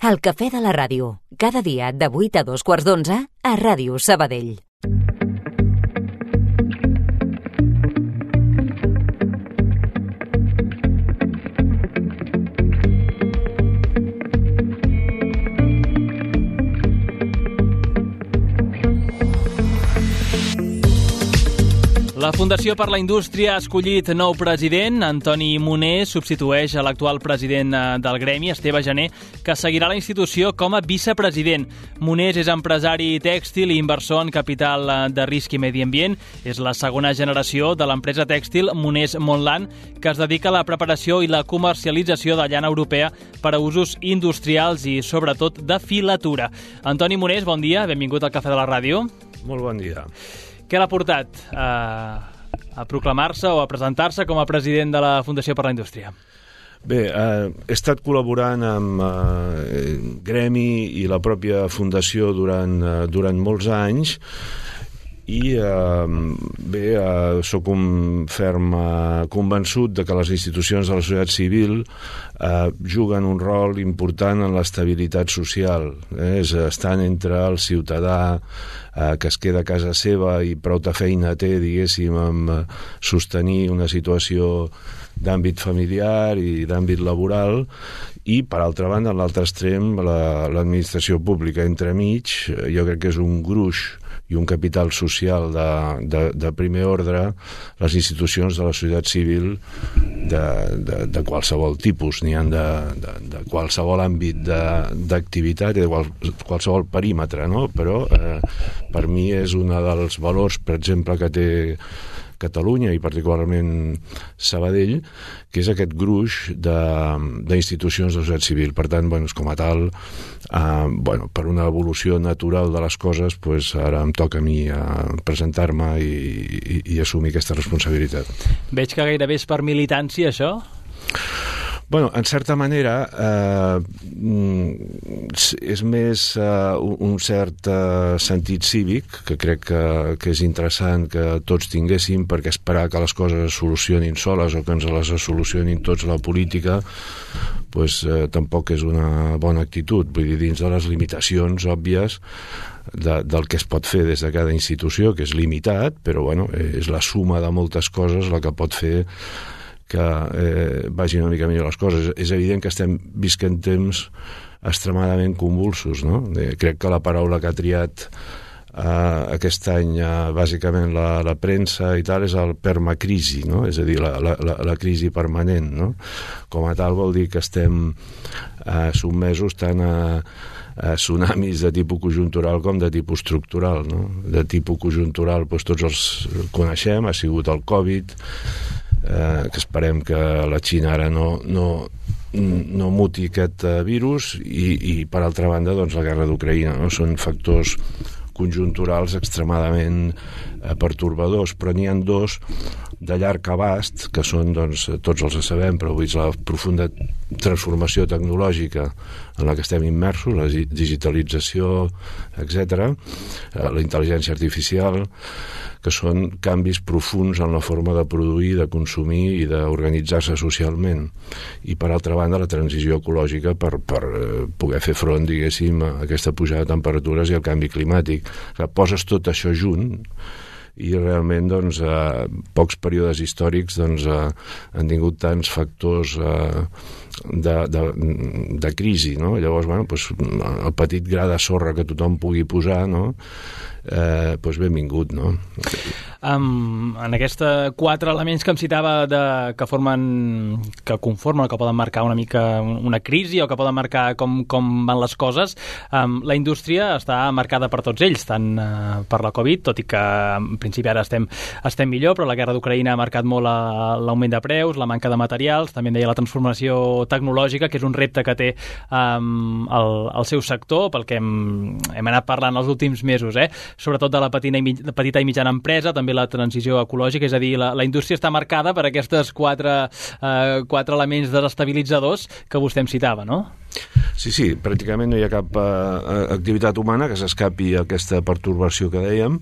El cafè de la ràdio, cada dia de 8 a 2:15 a Ràdio Sabadell. La Fundació per la Indústria ha escollit nou president. Antoni Monés substitueix a l'actual president del gremi, Esteve Gené, que seguirà la institució com a vicepresident. Monés és empresari tèxtil i inversor en capital de risc i medi ambient. És la segona generació de l'empresa tèxtil Monés Montland, que es dedica a la preparació i la comercialització de llana europea per a usos industrials i, sobretot, de filatura. Antoni Monés, bon dia, benvingut al Cafè de la Ràdio. Molt bon dia. Què l'ha portat a proclamar-se o a presentar-se com a president de la Fundació per la Indústria? Bé, he estat col·laborant amb Gremi i la pròpia Fundació durant molts anys i sóc un ferm convençut de que les institucions de la societat civil juguen un rol important en l'estabilitat social. Estan entre el ciutadà que es queda a casa seva i prou de feina té, diguéssim, amb sostenir una situació d'àmbit familiar i d'àmbit laboral, i per altra banda, en l'altre extrem, l'administració pública entremig. Jo crec que és un gruix i un capital social de primer ordre, les institucions de la societat civil de qualsevol tipus, n'hi ha de qualsevol àmbit d'activitat i de qualsevol perímetre, no? Però per mi és un dels valors, per exemple, que té Catalunya i particularment Sabadell, que és aquest gruix d'institucions de la societat civil. Per tant, com a tal, per una evolució natural de les coses, ara em toca a mi presentar-me i assumir aquesta responsabilitat. Veig que gairebé és per militància, això? En certa manera és més un cert sentit cívic, que crec que és interessant que tots tinguéssim, perquè esperar que les coses es solucionin soles o que ens les solucionin tots la política tampoc és una bona actitud. Vull dir, dins de les limitacions òbvies del que es pot fer des de cada institució, que és limitat, però és la suma de moltes coses la que pot fer que vagin una mica millor les coses. És evident que estem visquent temps extremadament convulsos, no? Crec que la paraula que ha triat aquest any bàsicament la premsa i tal és el permacrisi, no? És a dir, la crisi permanent, no? Com a tal vol dir que estem sotmesos tant a tsunamis de tipus conjuntural com de tipus estructural, no? De tipus conjuntural tots els coneixem, ha sigut el Covid, que esperem que la Xina ara no muti aquest virus, i per altra banda la guerra d'Ucraïna, no? Són factors conjunturals extremadament pertorbadors, però n'hi ha dos de llarg abast, que són, tots els sabem, però vull dir, la profunda transformació tecnològica en la que estem immersos, la digitalització, etc., la intel·ligència artificial, que són canvis profuns en la forma de produir, de consumir i d'organitzar-se socialment. I, per altra banda, la transició ecològica per poder fer front, diguéssim, a aquesta pujada de temperatures i al canvi climàtic. Poses tot això junt i realment pocs períodes històrics han tingut tants factors de crisi, no? Llavors, el petit gra de sorra que tothom pugui posar, no? Benvingut, no? En aquests 4 elements que em citava que conformen o que poden marcar una mica una crisi o que poden marcar com van les coses, la indústria està marcada per tots ells, tant per la Covid, tot i que en principi ara estem millor, però la guerra d'Ucraïna ha marcat molt l'augment de preus, la manca de materials, també en deia la transformació tecnològica, que és un repte que té el seu sector, pel que hem anat parlant els últims mesos, sobretot de la petita i mitjana empresa, també la transició ecològica, és a dir, la indústria està marcada per aquests 4 elements desestabilitzadors que vostè em citava, no? Sí, pràcticament no hi ha cap activitat humana que s'escapi a aquesta pertorbació que dèiem,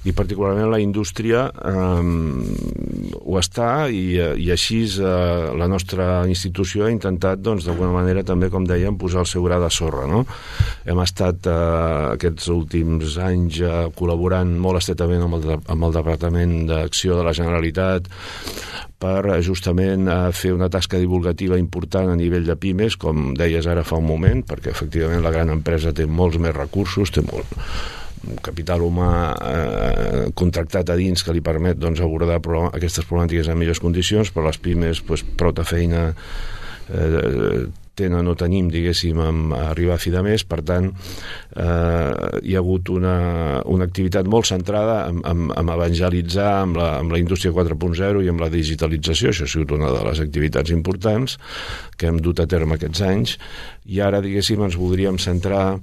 i particularment la indústria ho està, i així la nostra institució ha intentat, doncs, d'alguna manera també, com dèiem, posar el seu gra de sorra, no? Hem estat aquests últims anys col·laborant molt estretament amb el Departament d'Acció de la Generalitat per justament fer una tasca divulgativa important a nivell de pimes, com deies ara fa un moment, perquè efectivament la gran empresa té molts més recursos, té molt capital humà contractat a dins que li permet, doncs, abordar aquestes problemàtiques en millors condicions, però les pimes, doncs, prou de feina tenen o tenim, diguéssim, a arribar a fi de mes. Per tant, hi ha hagut una activitat molt centrada en evangelitzar amb la indústria 4.0 i amb la digitalització. Això ha sigut una de les activitats importants que hem dut a terme aquests anys, i ara, diguéssim, ens voldríem centrar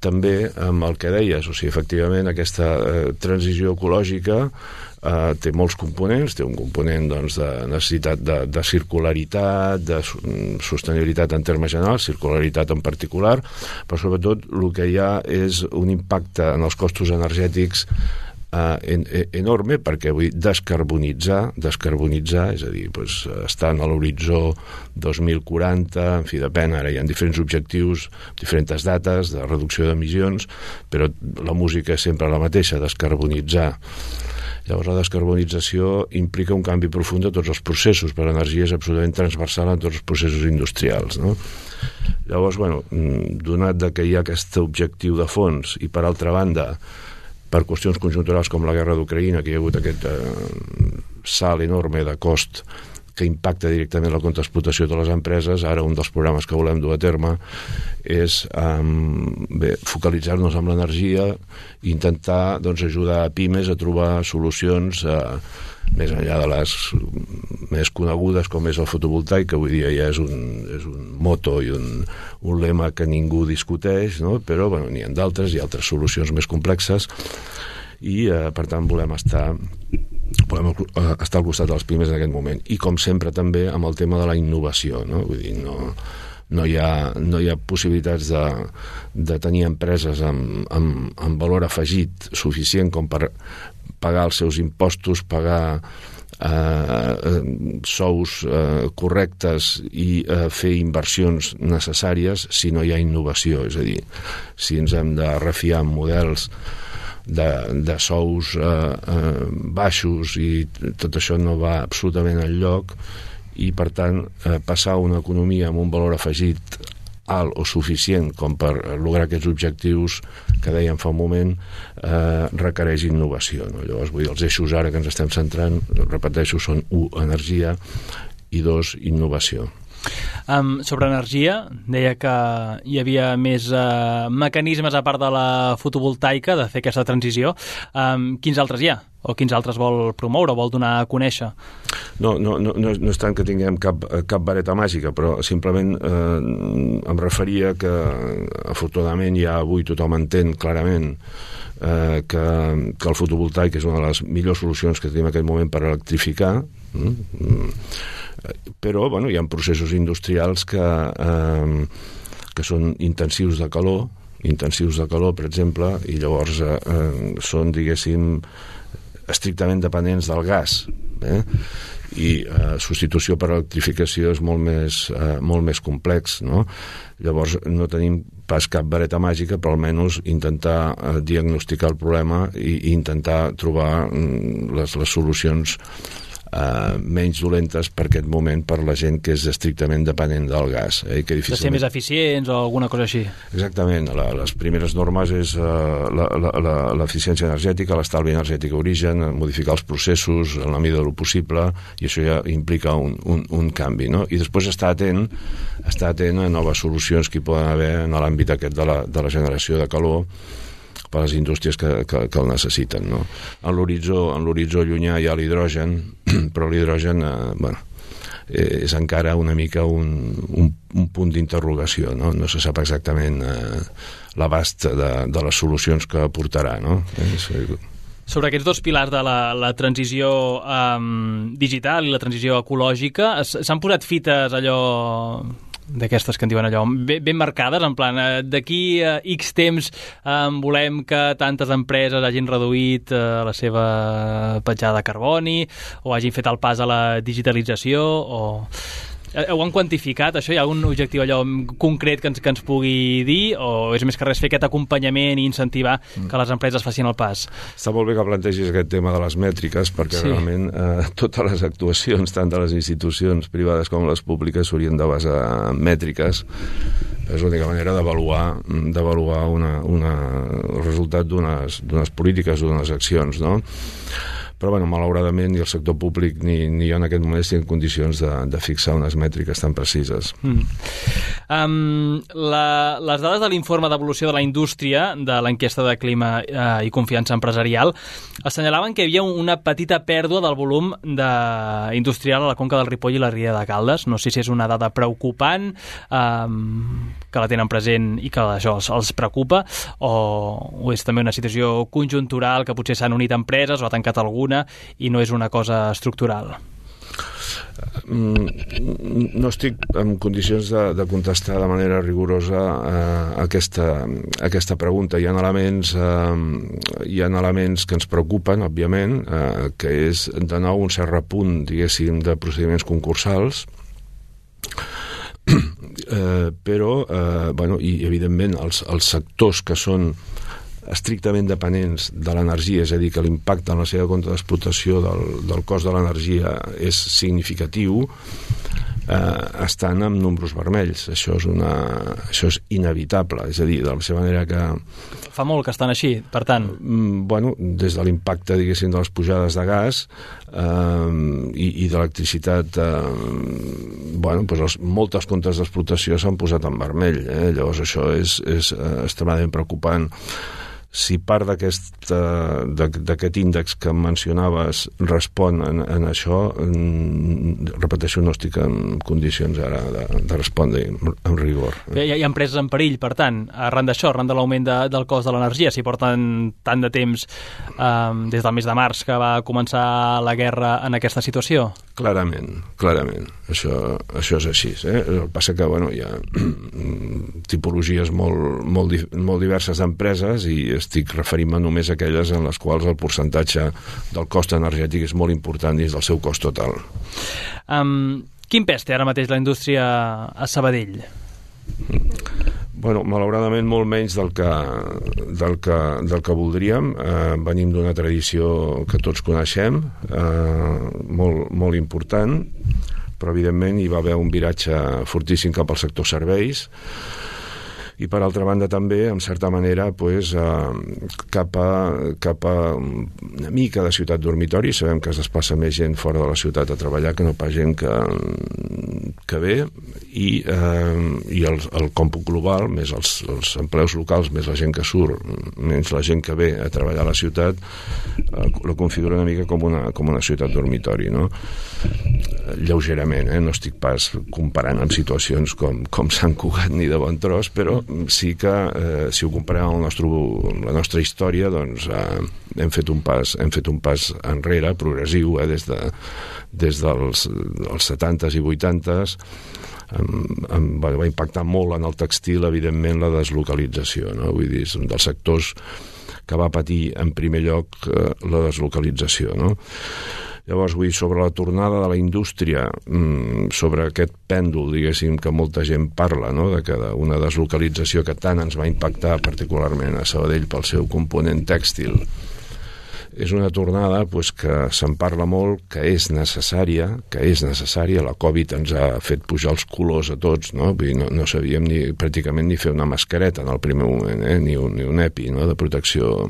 també amb el que deies, o sigui, efectivament, aquesta transició ecològica té molts components, té un component, doncs, de necessitat de circularitat, de sostenibilitat en termes generals, circularitat en particular, però sobretot el que hi ha és un impacte en els costos energètics enorme, perquè vull descarbonitzar, és a dir, doncs, estan a l'horitzó 2040, en fi, depèn, ara hi ha diferents objectius, diferents dates de reducció d'emissions, però la música és sempre la mateixa, descarbonitzar. Llavors, la descarbonització implica un canvi profund de tots els processos, per l'energia és absolutament transversal en tots els processos industrials, no? Llavors, bueno, donat que hi ha aquest objectiu de fons, i per altra banda, per qüestions conjunturals com la guerra d'Ucraïna, que hi ha hagut aquest salt enorme de cost que impacta directament la contraexplotació de les empreses, ara un dels programes que volem dur a terme és focalitzar-nos en l'energia i intentar, doncs, ajudar a pimes a trobar solucions més enllà de les més conegudes, com és el fotovoltaic, que avui dia ja és un moto i un lema que ningú discuteix, no? Però bueno, n'hi ha d'altres, hi ha altres solucions més complexes, i per tant volem estar al costat dels pimes en aquest moment, i com sempre també amb el tema de la innovació, no? Vull dir, no hi ha possibilitats de tenir empreses amb valor afegit suficient com per pagar els seus impostos, pagar sous correctes i fer inversions necessàries si no hi ha innovació. És a dir, si ens hem de refiar en models de sous baixos, i tot això no va absolutament enlloc, i per tant passar a una economia amb un valor afegit alt o suficient com per lograr aquests objectius que dèiem fa un moment requereix innovació, no? Llavors, vull dir, els eixos ara que ens estem centrant, repeteixo, són 1, energia, i 2, innovació. Sobre energia, deia que hi havia més mecanismes a part de la fotovoltaica de fer aquesta transició. Quins altres hi ha? O quins altres vol promoure o vol donar a conèixer? No és tant que tinguem cap vareta màgica, però simplement em referia que afortunadament ja avui tothom entén clarament que el fotovoltaic és una de les millors solucions que tenim en aquest moment per electrificar, però bueno, hi ha processos industrials que són intensius de calor, per exemple, i llavors són, diguéssim, estrictament dependents del gas, i substitució per electrificació és molt més complex, no? Llavors no tenim pas cap vareta màgica, però almenys intentar diagnosticar el problema i intentar trobar les solucions menys dolentes per aquest moment per la gent que és estrictament dependent del gas. Que de ser més eficients o alguna cosa així. Exactament. Les primeres normes és l'eficiència energètica, l'estalvi energètic a origen, modificar els processos en la mida del possible, i això ja implica un canvi, no? I després estar atent a noves solucions que hi poden haver en l'àmbit aquest de la generació de calor per a les indústries que el necessiten, no? En l'horitzó llunyà hi ha l'hidrogen, però l'hidrogen és encara una mica un punt d'interrogació, no? No se sap exactament l'abast de les solucions que aportarà, no? Sobre aquests dos pilars de la transició digital i la transició ecològica, s'han posat fites allò d'aquestes que en diuen allò, ben marcades, en plan, d'aquí a X temps volem que tantes empreses hagin reduït la seva petjada de carboni o hagin fet el pas a la digitalització o... Ho han quantificat, això? Hi ha algun objectiu allò concret que ens pugui dir o és més que res fer aquest acompanyament i incentivar que les empreses facin el pas? Està molt bé que plantegis aquest tema de les mètriques perquè realment totes les actuacions, tant de les institucions privades com les públiques, s'haurien de basar en mètriques. És l'única manera d'avaluar el resultat d'unes polítiques o d'unes accions, no? Però, bueno, malauradament, ni el sector públic ni jo en aquest moment estic en condicions de fixar unes mètriques tan precises. Les dades de l'informe d'evolució de la indústria de l'enquesta de clima i confiança empresarial assenyalaven que hi havia una petita pèrdua del volum industrial a la Conca del Ripoll i la Ria de Caldes. No sé si és una dada preocupant, que la tenen present i que això els preocupa, o és també una situació conjuntural que potser s'han unit empreses o ha tancat alguna i no és una cosa estructural. No estic en condicions de contestar de manera rigorosa aquesta pregunta. Hi ha elements que ens preocupen, òbviament, que és de nou un cert repunt, diguéssim, de procediments concursals, però, i evidentment els sectors que són estrictament dependents de l'energia, és a dir, que l'impacte en la seva compte d'explotació del cost de l'energia és significatiu, estan amb números vermells. Això és inevitable, és a dir, de la seva manera que... Fa molt que estan així, per tant. Des de l'impacte, diguéssim, de les pujades de gas i d'electricitat, moltes comptes d'explotació s'han posat en vermell. Llavors això és extremadament preocupant. Si part d'aquest índex que mencionaves respon en això, repeteixo, no estic en condicions ara de respondre amb rigor. Hi ha empreses en perill, per tant, arran d'això, arran de l'augment del cost de l'energia, si porten tant de temps des del mes de març que va començar la guerra en aquesta situació? Clarament. Això és així. El que passa que hi ha tipologies molt diverses d'empreses i estic referint-me només a aquelles en les quals el percentatge del cost energètic és molt important dins del seu cost total. Quin pes té ara mateix la indústria a Sabadell? Malauradament molt menys del que voldríem. Venim d'una tradició que tots coneixem, molt important, però evidentment hi va haver un viratge fortíssim cap al sector serveis i per altra banda també, en certa manera, cap a una mica de ciutat dormitori. Sabem que es desplaça més gent fora de la ciutat a treballar que no pas gent que ve, i el còmput global, més els empleus locals, més la gent que surt, menys la gent que ve a treballar a la ciutat, la configura una mica com una ciutat dormitori, no? Lleugerament, no estic pas comparant amb situacions com Sant Cugat ni de Bon Tros, però sí que si ho comparem amb la nostra història, doncs hem fet un pas enrere, progressiu, des dels 70s i 80s. Va impactar molt en el textil, evidentment, la deslocalització, no? Vull dir, és un dels sectors que va patir en primer lloc la deslocalització, no? Llavors, sobre la tornada de la indústria, sobre aquest pèndol, diguéssim, que molta gent parla, no?, de que una deslocalització que tant ens va impactar particularment a Sabadell pel seu component tèxtil, és una tornada que se'n parla molt, que és necessària. La Covid ens ha fet pujar els colors a tots, no? Vull dir, no sabíem pràcticament ni fer una mascareta en el primer moment, ni un EPI, no?, de protecció.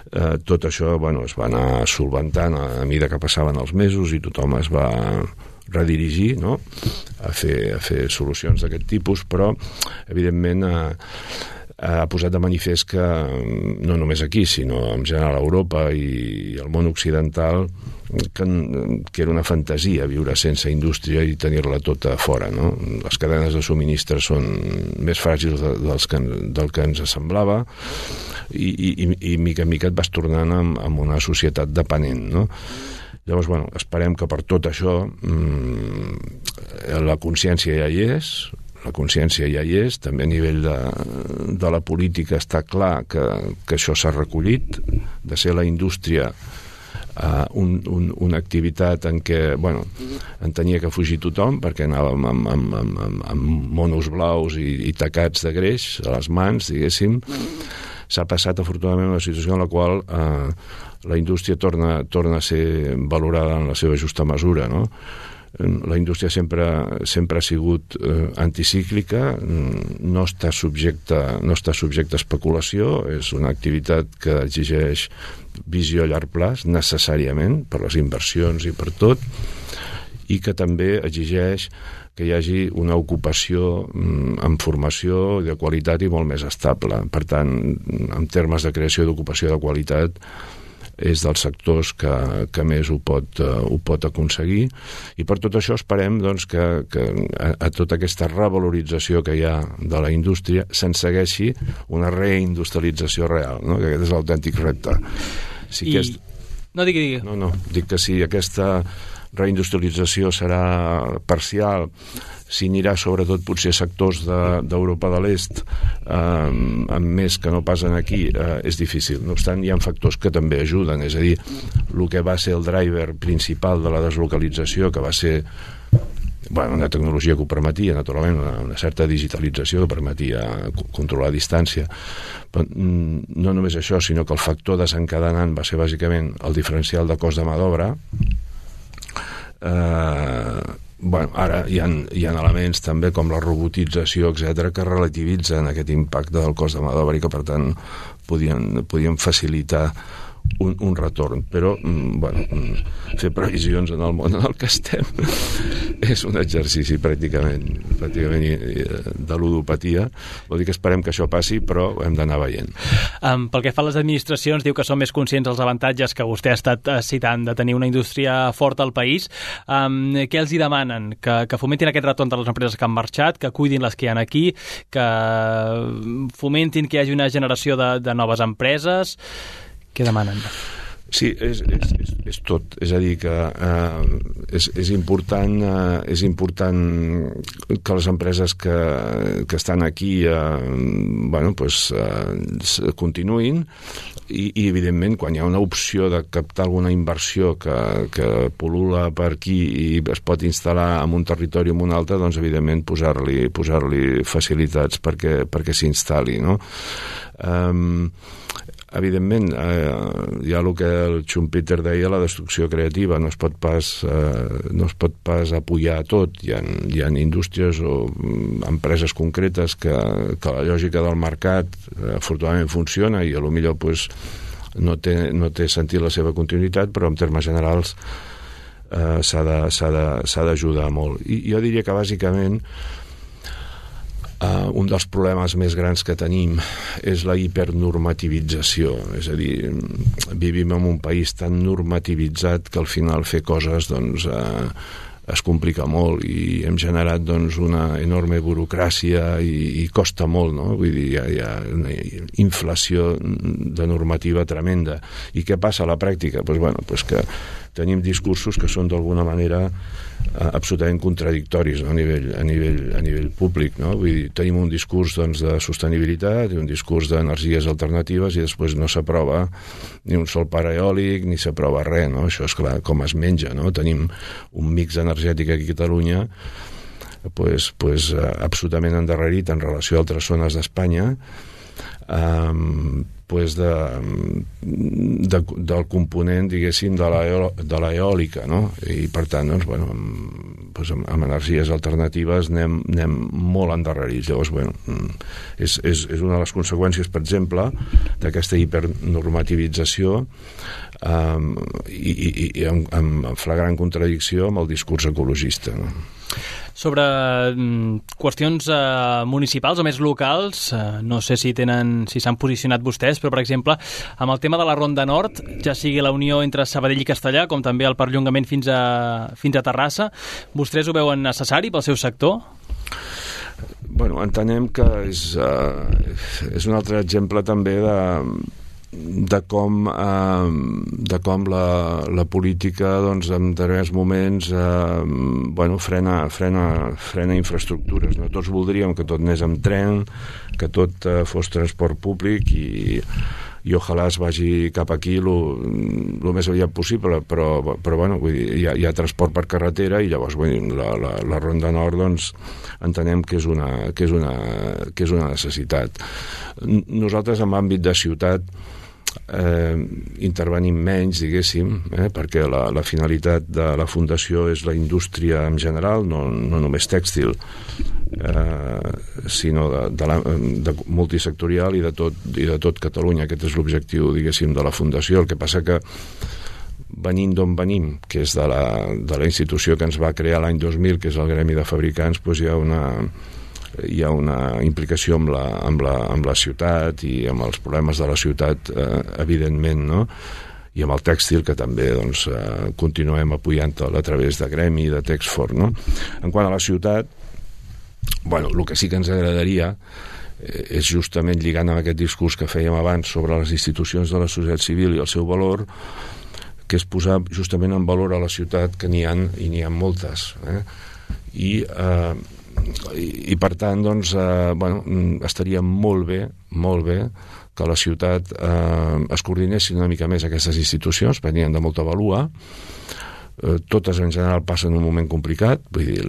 Tot això es va anar solventant a mesura que passaven els mesos i tothom es va redirigir, no?, a fer solucions d'aquest tipus, però evidentment ha posat de manifest que no només aquí, sinó en general a Europa i el món occidental, que era una fantasia viure sense indústria i tenir-la tota fora, no? Les cadenes de subministres són més fràgils del que ens semblava i mica en mica et vas tornant amb una societat dependent, no? Llavors, bueno, esperem que per tot això la consciència ja hi és, també a nivell de la política està clar que això s'ha recollit, de ser la indústria una activitat en què, bueno, en tenia que fugir tothom perquè anàvem amb monos blaus i tacats de greix a les mans, diguéssim. S'ha passat afortunadament una situació en la qual la indústria torna a ser valorada en la seva justa mesura, no? La indústria sempre ha sigut anticíclica, no està subjecta a especulació, és una activitat que exigeix visió a llarg plaç, necessàriament, per les inversions i per tot, i que també exigeix que hi hagi una ocupació amb formació de qualitat i molt més estable. Per tant, en termes de creació d'ocupació de qualitat, és dels sectors que més ho pot aconseguir, i per tot això esperem doncs, que a tota aquesta revalorització que hi ha de la indústria se'n segueixi una reindustrialització real, no? Que aquest és l'autèntic repte. No, digui. No, dic que si aquesta reindustrialització serà parcial, si anirà sobretot potser sectors d'Europa de l'Est amb més que no passen aquí, és difícil. No obstant, hi ha factors que també ajuden, és a dir, el que va ser el driver principal de la deslocalització, que va ser una tecnologia que ho permetia, naturalment, una certa digitalització que permetia controlar a distància. Però no només això, sinó que el factor desencadenant va ser bàsicament el diferencial de cost de mà d'obra. Ara hi ha elements també com la robotització, etc., que relativitzen aquest impacte del cost de mà d'obra i que per tant podien facilitar un retorn, però fer previsions en el món en el que estem és un exercici pràcticament de ludopatia. Vol dir que esperem que això passi, però ho hem d'anar veient. Pel que fa a les administracions, diu que són més conscients dels avantatges que vostè ha estat citant de tenir una indústria forta al país. Què els hi demanen? Que fomentin aquest retorn de les empreses que han marxat, que cuidin les que hi ha aquí, que fomentin que hi hagi una generació de noves empreses. Què demanen? Sí, és tot. És a dir, que és important que les empreses que estan aquí continuïn i evidentment, quan hi ha una opció de captar alguna inversió que pol·lula per aquí i es pot instal·lar en un territori o en un altre, doncs evidentment posar-li facilitats perquè s'instal·li, no? Evidentment, hi ha el que el Schumpeter deia, la destrucció creativa. No es pot pas apoyar tot. Hi ha indústries o empreses concretes que la lògica del mercat afortunadament funciona i potser no té sentit la seva continuïtat, però en termes generals s'ha d'ajudar molt. I jo diria que bàsicament un dels problemes més grans que tenim és la hipernormativització, és a dir, vivim en un país tan normativitzat que al final fer coses es complica molt i hem generat una enorme burocràcia i costa molt, no? Vull dir, hi ha una inflació de normativa tremenda. I què passa a la pràctica? Doncs que tenim discursos que són d'alguna manera absolutament contradictoris, no? a nivell públic, no? Vull dir, tenim un discurs de sostenibilitat i un discurs d'energies alternatives i després no s'aprova ni un sol parc eòlic ni s'aprova res, no? Això és clar, com es menja, no? Tenim un mix energètic aquí a Catalunya absolutament endarrerit en relació a altres zones d'Espanya, del component, diguéssim, de l'eòlica, no? I per tant, amb energies alternatives anem molt endarrerits. Llavors, és una de les conseqüències, per exemple, d'aquesta hipernormativització i en flagrant contradicció amb el discurs ecologista, no? Sobre qüestions municipals o més locals, no sé si s'han posicionat vostès, però per exemple, amb el tema de la Ronda Nord, ja sigui la unió entre Sabadell i Castellar, com també el perllongament fins a Terrassa, vostès ho veuen necessari pel seu sector? Entenem que és un altre exemple també de com la política doncs, en determinats moments frena infraestructures, no? Tots voldríem que tot anés amb tren, que tot fos transport públic i ojalà es vagi cap aquí el més aviat possible, però bueno, vull dir, hi ha transport per carretera i llavors vull dir, la Ronda Nord doncs, entenem que és una necessitat. Nosaltres en àmbit de ciutat intervenim menys, diguéssim, perquè la finalitat de la Fundació és la indústria en general, no només tèxtil, sinó de multisectorial i de tot Catalunya. Aquest és l'objectiu, diguéssim, de la Fundació. El que passa que venint d'on venim, que és de la institució que ens va crear l'any 2000, que és el Gremi de Fabricants, doncs hi ha una implicació amb la ciutat i amb els problemes de la ciutat, evidentment, no? I amb el tèxtil, que també doncs, continuem apoyant-lo a través de Gremi i de Texford, no? En quant a la ciutat, bueno, el que sí que ens agradaria és justament lligant amb aquest discurs que fèiem abans sobre les institucions de la societat civil i el seu valor, que és posar justament en valor a la ciutat, que n'hi ha moltes, i per tant doncs, estaria molt bé que la ciutat es coordinessin una mica més aquestes institucions, perquè n'hi ha de molta vàlua. Totes en general passen un moment complicat, vull dir,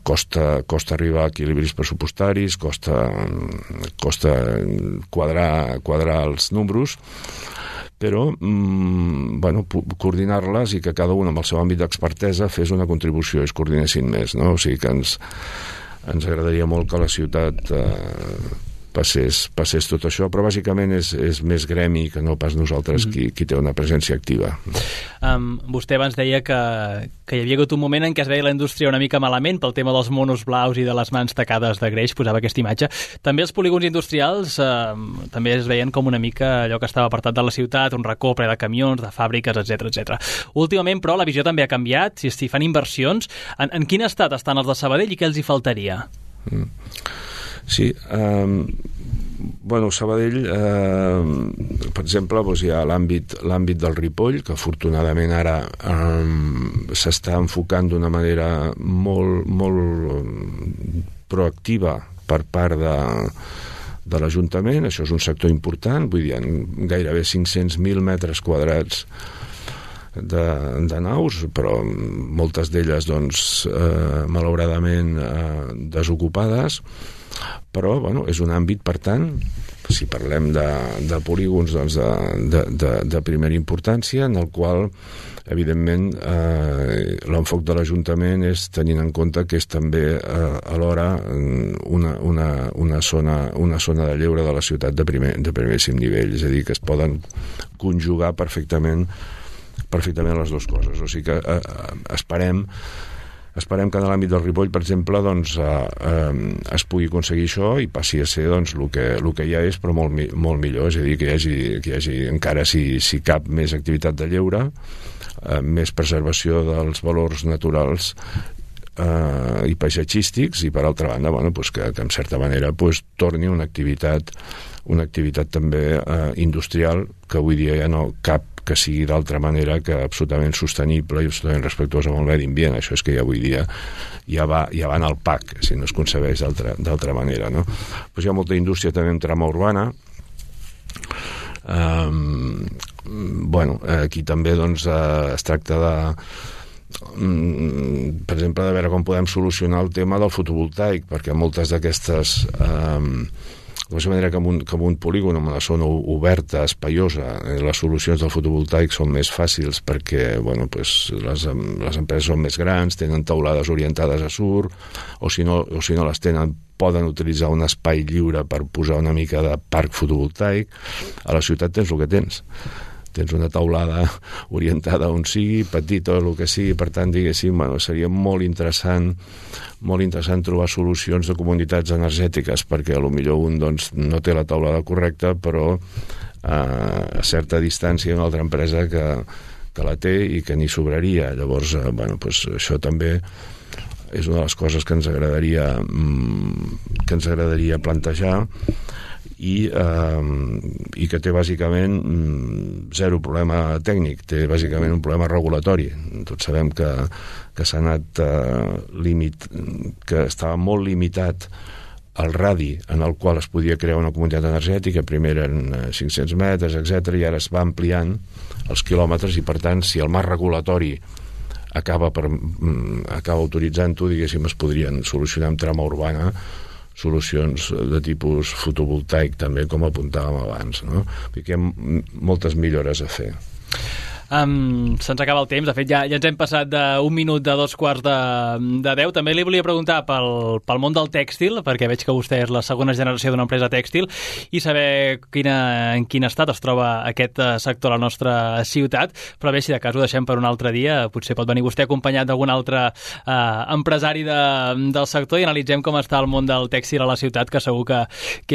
costa arribar a equilibris pressupostaris, costa quadrar els números, però coordinar-les i que cada un amb el seu àmbit d'expertesa fes una contribució i es coordinessin més, no? O sigui que ens agradaria molt que la ciutat passés tot això, però bàsicament és més gremi que no pas nosaltres qui té una presència activa. Vostè abans deia que hi havia hagut un moment en què es veia la indústria una mica malament pel tema dels monos blaus i de les mans tacades de greix, posava aquesta imatge. També els polígons industrials també es veien com una mica allò que estava apartat de la ciutat, un racó ple de camions, de fàbriques, etc. Últimament, però, la visió també ha canviat. Si fan inversions, en quin estat estan els de Sabadell i què els hi faltaria? Sí, Sabadell, per exemple, hi ha l'àmbit del Ripoll, que afortunadament ara s'està enfocant d'una manera molt proactiva per part de l'Ajuntament. Això és un sector important, vull dir, gairebé 500.000 metres quadrats de naus, però moltes d'elles doncs, malauradament desocupades, però és un àmbit, per tant, si parlem de polígons doncs, de primera importància, en el qual evidentment l'enfoc de l'Ajuntament és tenint en compte que és també alhora una zona de lleure de la ciutat de primeríssim nivell, és a dir, que es poden conjugar perfectament les dues coses. O sigui que esperem que en l'àmbit del Ripoll, per exemple, doncs, es pugui aconseguir això i passi a ser doncs, el que ja és, però molt millor. És a dir, que hi hagi encara, si cap, més activitat de lleure, més preservació dels valors naturals i paisatgístics, i per altra banda que en certa manera torni una activitat també industrial, que avui dia ja no cap que sigui d'altra manera que absolutament sostenible i absolutament respectuosa amb el medi ambient. Això és que ja avui dia ja va en el PAC, si no es concebeix d'altra manera, no? Pues hi ha molta indústria també en trama urbana. Aquí també doncs, es tracta per exemple, de veure com podem solucionar el tema del fotovoltaic, perquè moltes d'aquestes de la manera que en un polígon, en una zona oberta, espaiosa, les solucions del fotovoltaic són més fàcils perquè les empreses són més grans, tenen teulades orientades a sur, o si no les tenen, poden utilitzar un espai lliure per posar una mica de parc fotovoltaic. A la ciutat tens el que tens una teulada orientada on sigui, petita o el que sigui, per tant, diguéssim, seria molt interessant trobar solucions de comunitats energètiques, perquè potser un doncs, no té la teulada correcta, però a certa distància hi ha una altra empresa que la té i que n'hi sobraria. Llavors, això també és una de les coses que ens agradaria plantejar. i que té bàsicament zero problema tècnic, té bàsicament un problema regulatori. Tots sabem que s'ha anat que estava molt limitat el radi en el qual es podia crear una comunitat energètica. Primer eren 500 metres, etc., i ara es va ampliant els quilòmetres, i per tant, si el marc regulatori acaba autoritzant-ho, diguéssim, es podrien solucionar amb trama urbana solucions de tipus fotovoltaic també, com apuntàvem abans, no? Perquè hi ha moltes millores a fer. Se'ns acaba el temps. De fet, ja ens hem passat d'un minut de 9:45. També li volia preguntar pel món del tèxtil, perquè veig que vostè és la segona generació d'una empresa tèxtil, i saber en quin estat es troba aquest sector a la nostra ciutat. Però bé, si de cas ho deixem per un altre dia, potser pot venir vostè acompanyat d'algun altre empresari del sector i analitzem com està el món del tèxtil a la ciutat, que segur que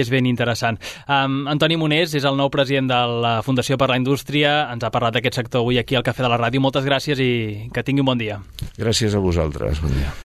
és ben interessant. Antoni Monés és el nou president de la Fundació per la Indústria. Ens ha parlat d'aquest sector avui aquí al Cafè de la Ràdio. Moltes gràcies i que tingui un bon dia. Gràcies a vosaltres. Bon dia.